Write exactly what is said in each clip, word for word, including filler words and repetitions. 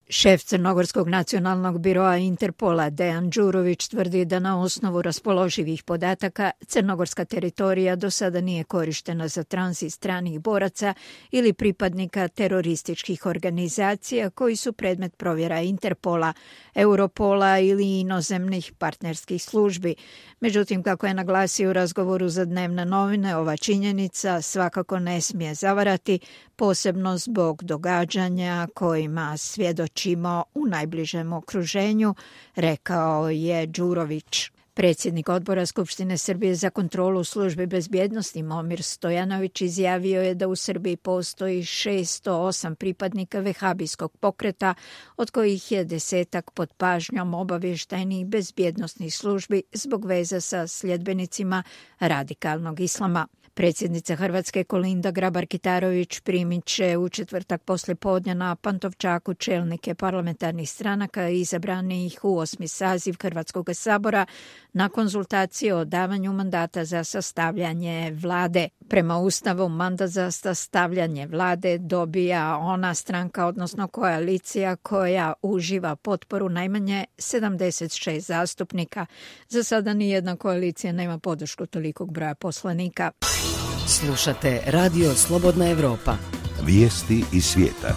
Šef Crnogorskog nacionalnog biroa Interpola Dejan Đurović tvrdi da na osnovu raspoloživih podataka crnogorska teritorija do sada nije korištena za tranzit stranih boraca ili pripadnika terorističkih organizacija koji su predmet provjera Interpola, Europola ili inozemnih partnerskih službi. Međutim, kako je naglasio u razgovoru za dnevne novine, ova činjenica svakako ne smije zavarati, posebno zbog događanja kojima svjedočimo u najbližem okruženju, rekao je Đurović. Predsjednik odbora Skupštine Srbije za kontrolu službi bezbjednosti Momir Stojanović izjavio je da u Srbiji postoji šesto osam pripadnika vehabijskog pokreta, od kojih je desetak pod pažnjom obavještajnih bezbjednosnih službi zbog veza sa sljedbenicima radikalnog islama. Predsjednica Hrvatske Kolinda Grabar-Kitarović primit će u četvrtak poslijepodne na Pantovčaku čelnike parlamentarnih stranaka izabranih u osmi saziv Hrvatskog sabora na konzultacije o davanju mandata za sastavljanje vlade. Prema Ustavu mandat za sastavljanje vlade dobija ona stranka, odnosno koalicija koja uživa potporu najmanje sedamdeset šest zastupnika. Za sada nijedna koalicija nema podršku tolikog broja poslanika. Slušate Radio Slobodna Evropa. Vijesti iz svijeta.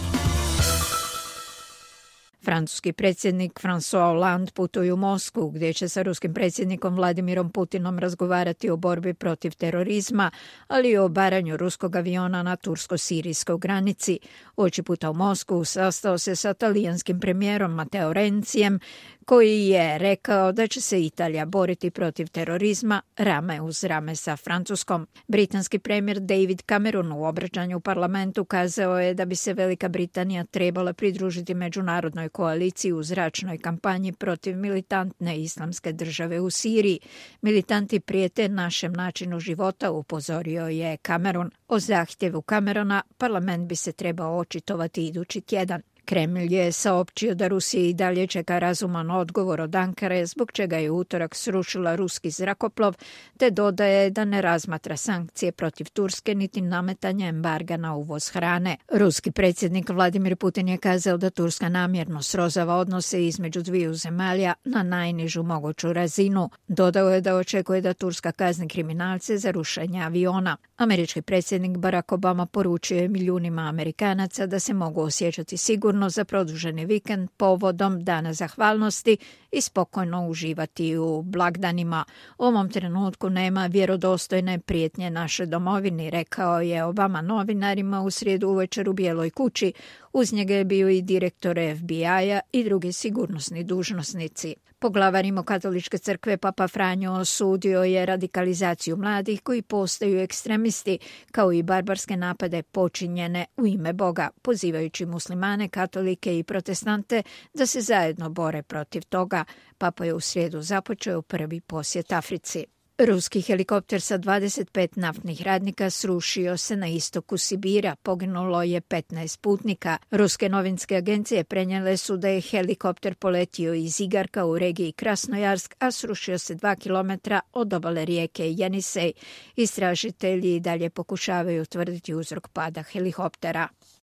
Francuski predsjednik François Hollande putuje u Moskvu, gdje će sa ruskim predsjednikom Vladimirom Putinom razgovarati o borbi protiv terorizma, ali i o baranju ruskog aviona na tursko-sirijskoj granici. Oči puta u Moskvu sastao se sa talijanskim premijerom Matteo Renzijem, koji je rekao da će se Italija boriti protiv terorizma rame uz rame sa Francuskom. Britanski premijer David Cameron u obraćanju u parlamentu kazao je da bi se Velika Britanija trebala pridružiti međunarodnoj koaliciji u zračnoj kampanji protiv militantne islamske države u Siriji. Militanti prijete našem načinu života, upozorio je Cameron. O zahtjevu Camerona parlament bi se trebao očitovati idući tjedan. Kremlj je saopćio da Rusija i dalje čeka razuman odgovor od Ankare, zbog čega je u utorak srušila ruski zrakoplov, te dodaje da ne razmatra sankcije protiv Turske niti nametanje embarga na uvoz hrane. Ruski predsjednik Vladimir Putin je kazao da Turska namjerno srozava odnose između dviju zemalja na najnižu moguću razinu. Dodao je da očekuje da Turska kazni kriminalce za rušenje aviona. Američki predsjednik Barack Obama poručio je milijunima Amerikanaca da se mogu osjećati sigurno za produženi vikend povodom Dana zahvalnosti i spokojno uživati u blagdanima. U ovom trenutku nema vjerodostojne prijetnje našoj domovini, rekao je Obama novinarima u srijedu uvečer u Bijeloj kući. Uz njega je bio i direktor F B I-a i drugi sigurnosni dužnosnici. Poglavar Rimokatoličke crkve Papa Franjo osudio je radikalizaciju mladih koji postaju ekstremisti, kao i barbarske napade počinjene u ime Boga, pozivajući muslimane, katolike i protestante da se zajedno bore protiv toga. Papa je u srijedu započeo prvi posjet Africi. Ruski helikopter sa dvadeset pet naftnih radnika srušio se na istoku Sibira. Poginulo je petnaest putnika. Ruske novinske agencije prenijele su da je helikopter poletio iz Igarka u regiji Krasnojarsk, a srušio se dva kilometra od obale rijeke Jenisej. Istražitelji dalje pokušavaju utvrditi uzrok pada helikoptera.